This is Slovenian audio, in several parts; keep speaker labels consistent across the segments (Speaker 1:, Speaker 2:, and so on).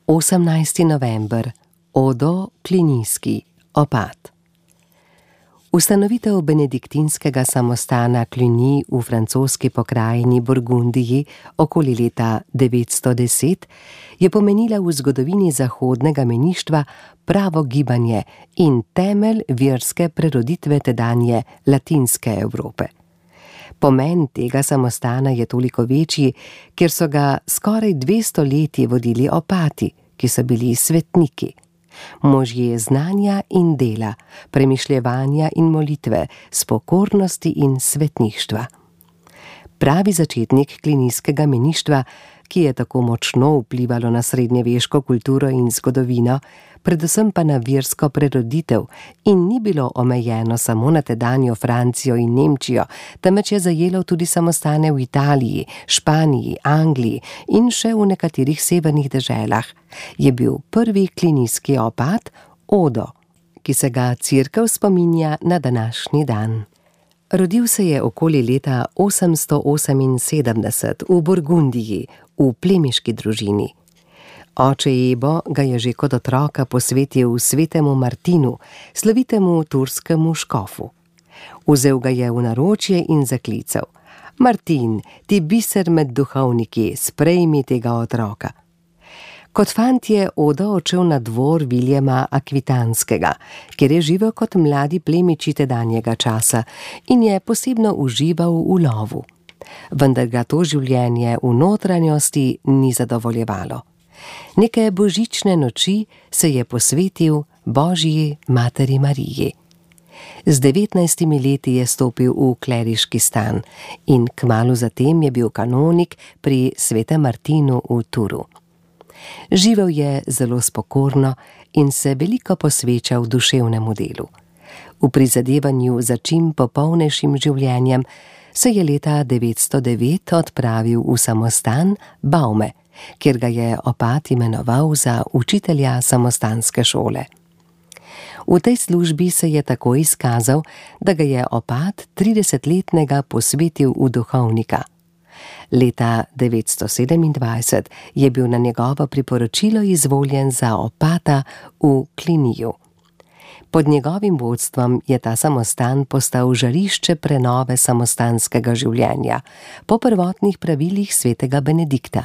Speaker 1: 18. november. Odo Clunyski, opat. Ustanovitev benediktinskega samostana Cluny v francoski pokrajini Burgundiji okoli leta 910 je pomenila v zgodovini zahodnega meništva pravo gibanje in temelj verske preroditve tedanje latinske Evrope. Pomen tega samostana je toliko večji, ker so ga skoraj 200 leti vodili opati, ki so bili svetniki. Možje znanja in dela, premišljevanja in molitve, spokornosti in svetništva. Pravi začetnik clunyskega meništva, ki je tako močno vplivalo na srednjeveško kulturo in zgodovino, predvsem pa na versko preroditev, in ni bilo omejeno samo na tedanjo Francijo in Nemčijo, temveč je zajelo tudi samostane v Italiji, Španiji, Angliji in še v nekaterih severnih deželah, je bil prvi clunyski opat Odo, ki se ga cerkev spominja na današnji dan. Rodil se je okoli leta 878 v Burgundiji, v plemiški družini. Oče Ebo ga je že kot otroka posvetil svetemu Martinu, slovitemu turskemu škofu. Vzel ga je v naročje in zaklical: Martin, ti biser med duhovniki, sprejmi tega otroka. Kot fant je Odo odšel na dvor Viljema Akvitanskega, kjer je živel kot mladi plemiči tedanjega časa in je posebno užival v lovu. Vendar ga to življenje v notranjosti ni zadovoljevalo. Neke božične noči se je posvetil Božji materi Mariji. Z 19 leti je stopil v kleriški stan in kmalu zatem je bil kanonik pri svetem Martinu v Turu. Živel je zelo spokorno in se veliko posvečal duševnemu delu. V prizadevanju za čim popolnejšim življenjem se je leta 909 odpravil v samostan Baume, kjer ga je opat imenoval za učitelja samostanske šole. V tej službi se je tako izkazal, da ga je opat 30-letnega posvetil v duhovnika. Leta 927 je bil na njegovo priporočilo izvoljen za opata v Clunyju. Pod njegovim vodstvom je ta samostan postal žarišče prenove samostanskega življenja po prvotnih pravilih svetega Benedikta.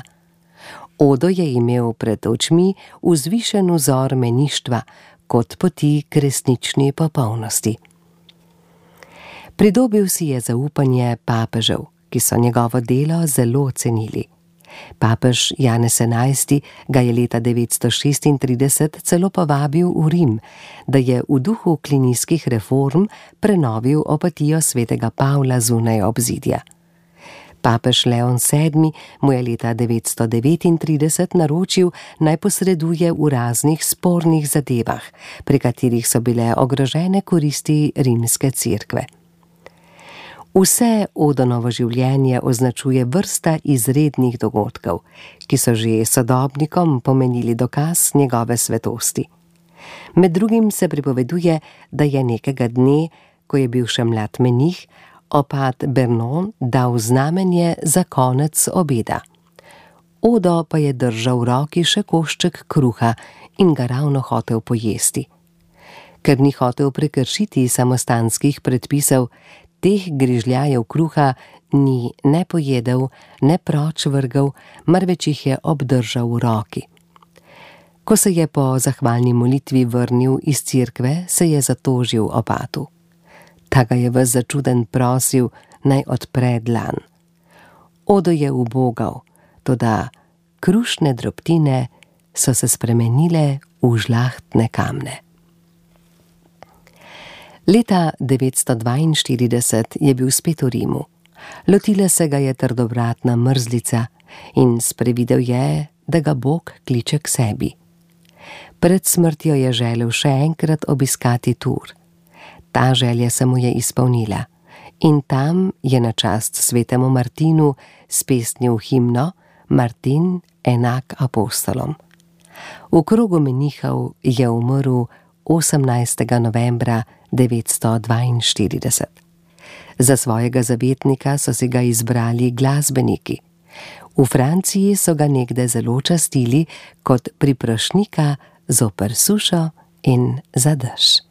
Speaker 1: Odo je imel pred očmi vzvišen vzor meništva kot poti k resnični popolnosti. Pridobil si je zaupanje papežev, ki so njegovo delo zelo cenili. Papež Janez XI ga je leta 936 celo povabil v Rim, da je v duhu clunyskih reform prenovil opatijo svetega Pavla zunaj obzidja. Papež Leon VII mu je leta 939 naročil, naj posreduje v raznih spornih zadevah, pri katerih so bile ogrožene koristi rimske cerkve. Vse Odonovo življenje označuje vrsta izrednih dogodkov, ki so že sodobnikom pomenili dokaz njegove svetosti. Med drugim se pripoveduje, da je nekega dne, ko je bil še mlad menih, opat Bernon dal znamenje za konec obeda. Odo pa je držal v roki še košček kruha in ga ravno hotel pojesti. Ker ni hotel prekršiti samostanskih predpisov, teh grižljajev kruha ni ne pojedel, ne proč vrgel, marveč jih je obdržal v roki. Ko se je po zahvalni molitvi vrnil iz cerkve, se je zatožil opatu. Ta ga je ves začuden prosil, naj odpre dlan. Odo je ubogal, toda krušne drobtine so se spremenile v žlahtne kamne. Leta 942 je bil spet v Rimu. Lotila se ga je trdovratna mrzlica in sprevidel je, da ga Bog kliče k sebi. Pred smrtjo je želel še enkrat obiskati Tur. Ta želja se mu je izpolnila in tam je na čast svetemu Martinu spesnil himno Martin enak apostolom. V krogu menihov je umrl 18. novembra 942. Za svojega zavetnika so si ga izbrali glasbeniki. V Franciji so ga nekdaj zelo častili kot priprošnjika zoper sušo in za dež.